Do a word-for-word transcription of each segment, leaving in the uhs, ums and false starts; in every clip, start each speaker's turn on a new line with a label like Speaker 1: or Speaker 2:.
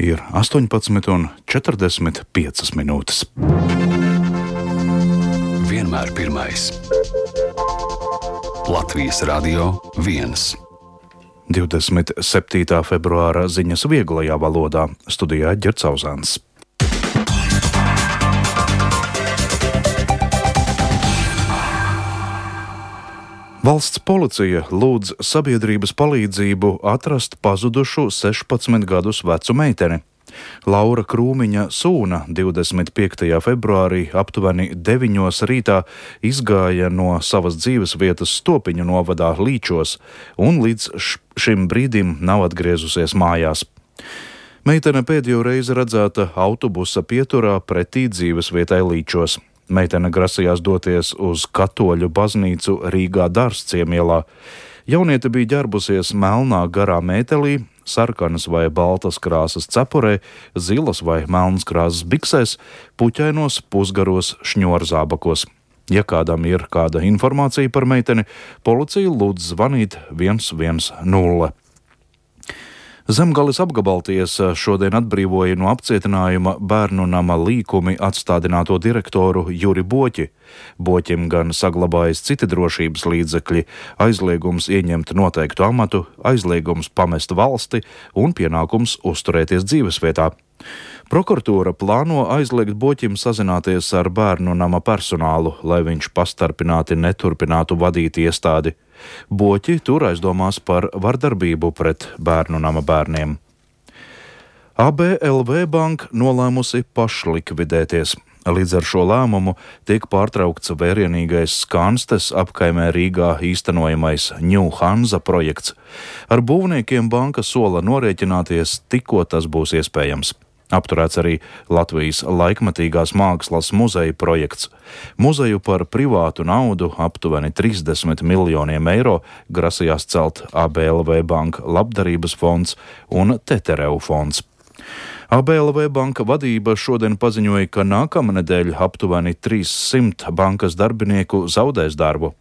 Speaker 1: Ir astoņpadsmit un četrdesmit piecas minūtes.
Speaker 2: Vienmēr pirmais. Latvijas Radio viens.
Speaker 1: divdesmit septītā februāra ziņas vieglajā valodā. Studijā Ģerts Auzāns. Valsts policija lūdz sabiedrības palīdzību atrast pazudušu sešpadsmit gadus vecu meiteni. Laura Krūmiņa Sūna divdesmit piektajā februārī aptuveni deviņos rītā izgāja no savas dzīves vietas Stopiņu novadā Līčos un līdz šim brīdim nav atgriezusies mājās. Meitene pēdējo reizi redzēta autobusa pieturā pretī dzīves vietai Līčos. Meitene grasījās doties uz katoļu baznīcu Rīgā Dārzciemielā. Jauniete bija ģērbusies melnā garā mētelī, sarkanas vai baltas krāsas cepurē, zilas vai melnas krāsas biksēs, puķainos pusgaros šņorzābakos. Ja kādam ir kāda informācija par meiteni, policija lūdz zvanīt viens viens nulle. Zemgales apgabaltiesa šodien atbrīvoja no apcietinājuma Bērnu nama līkumi atstādināto direktoru Juri Boķi. Boķim gan saglabājas citi drošības līdzekļi, aizliegums ieņemt noteiktu amatu, aizliegums pamest valsti un pienākums uzturēties dzīvesvietā. Prokuratūra plāno aizliegt Boķim sazināties ar Bērnu nama personālu, lai viņš pastarpināti neturpinātu vadīt iestādi. Boķi tur aizdomās par vardarbību pret Bērnu nama bērniem. A B L V banka nolēmusi pašlikvidēties. Līdz ar šo lēmumu tiek pārtraukts vērienīgais Skanstes apkaimē Rīgā īstenojamais New Hansa projekts. Ar būvniekiem banka sola norēķināties, tikko tas būs iespējams. Apturēts arī Latvijas laikmetīgās mākslas muzeja projekts. Muzeju par privātu naudu aptuveni trīsdesmit miljoniem eiro grasījās celt A B L V banka labdarības fonds un Tetereu fonds. A B L V banka vadība šodien paziņoja, ka nākamnedēļ aptuveni trīssimt bankas darbinieku zaudēs darbu.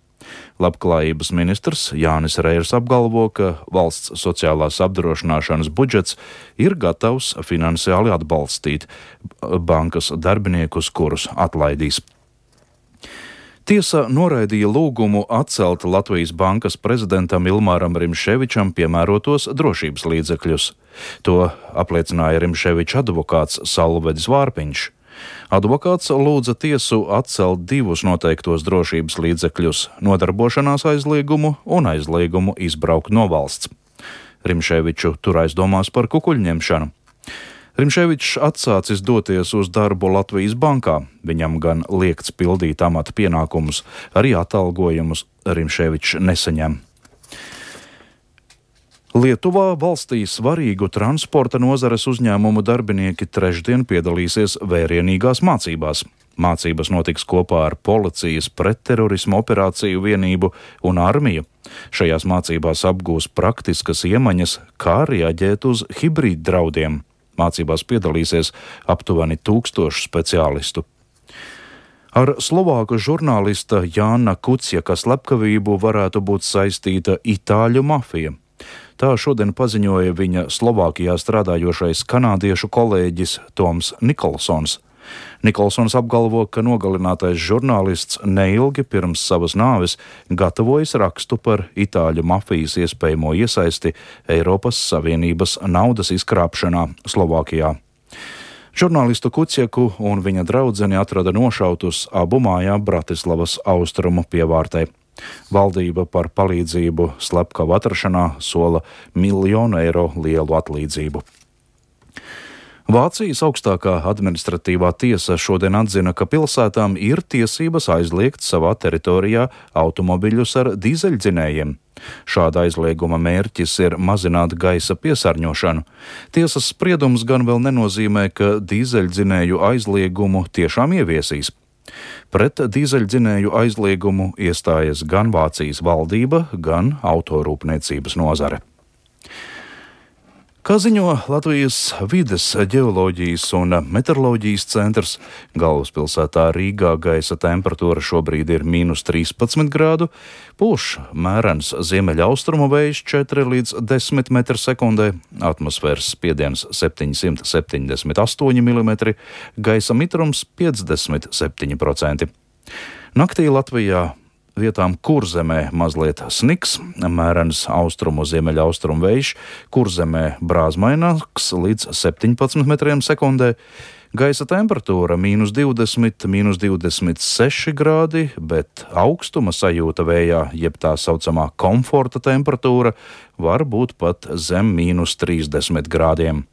Speaker 1: Labklājības ministrs Jānis Reirs apgalvo, ka valsts sociālās apdrošināšanas budžets ir gatavs finansiāli atbalstīt bankas darbiniekus, kurus atlaidīs. Tiesa noraidīja lūgumu atcelt Latvijas bankas prezidentam Ilmāram Rimševičam piemērotos drošības līdzekļus. To apliecināja Rimševiča advokāts Salvedis Vārpiņš. Advokāts lūdza tiesu atcelt divus noteiktos drošības līdzekļus – nodarbošanās aizliegumu un aizliegumu izbraukt no valsts. Rimševiču tur aizdomās par kukuļņemšanu. Rimševičs atsācis doties uz darbu Latvijas bankā. Viņam gan liegts pildīt amata pienākumus, arī atalgojumus Rimševičs nesaņem. Lietuvā valstī svarīgu transporta nozares uzņēmumu darbinieki trešdien piedalīsies vērienīgās mācībās. Mācības notiks kopā ar policijas pretterorismu operāciju vienību un armiju. Šajās mācībās apgūs praktiskas iemaņas, kā reaģēt uz hibrīd draudiem. Mācībās piedalīsies aptuveni tūkstošu speciālistu. Ar slovāku žurnālista Jāna Kuciaka slepkavību varētu būt saistīta itāļu mafija. Tā šodien paziņoja viņa Slovākijā strādājošais kanādiešu kolēģis Toms Nikolsons. Nikolsons apgalvo, ka nogalinātais žurnālists neilgi pirms savas nāves gatavojas rakstu par itāļu mafijas iespējamo iesaisti Eiropas Savienības naudas izkrāpšanā Slovākijā. Žurnālistu Kuciaku un viņa draudzeni atrada nošautus abu mājā Bratislavas austrumu pievārtē. Valdība par palīdzību slepkavu atrašanā sola miljonu eiro lielu atlīdzību. Vācijas augstākā administratīvā tiesa šodien atzina, ka pilsētām ir tiesības aizliegt savā teritorijā automobiļus ar dīzeļdzinējiem. Šāda aizlieguma mērķis ir mazināt gaisa piesārņošanu. Tiesas spriedums gan vēl nenozīmē, ka dīzeļdzinēju aizliegumu tiešām ieviesīs. Pret dīzeļdzinēju aizliegumu iestājas gan Vācijas valdība, gan autorūpniecības nozare. Kā ziņo Latvijas vides, ģeoloģijas un meteoroloģijas centrs, galvaspilsētā Rīgā gaisa temperatūra šobrīd ir mīnus trīspadsmit grādu, pūš mērens ziemeļaustrumu vējš četri līdz desmit metri sekundē, atmosfēras spiediens septiņsimt septiņdesmit astoņi milimetri, gaisa mitrums piecdesmit septiņi procenti. Naktī Latvijā vietām Kurzemē mazliet sniks, mērens austrumu ziemeļaustrumu vējš, Kurzemē brāzmaināks līdz septiņpadsmit metriem sekundē, gaisa temperatūra mīnus divdesmit, mīnus divdesmit seši grādi, bet augstuma sajūta vējā, jeb tā saucamā komforta temperatūra, var būt pat zem mīnus trīsdesmit grādiem.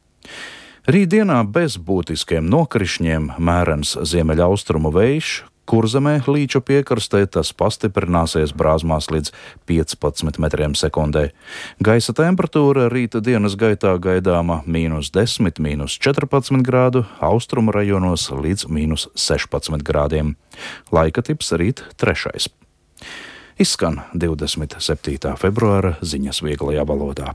Speaker 1: Rītdienā bez būtiskiem nokrišņiem mērens ziemeļaustrumu vējš, Kurzemē līča piekrastē tas pastiprināsies brāzmās līdz piecpadsmit metriem sekundē. Gaisa temperatūra rīta dienas gaitā gaidāma mīnus desmit, mīnus četrpadsmit grādu, austrumu rajonos līdz mīnus sešpadsmit grādiem. Laika tips rīt trešais. Izskan divdesmit septītā februāra ziņas vieglajā valodā.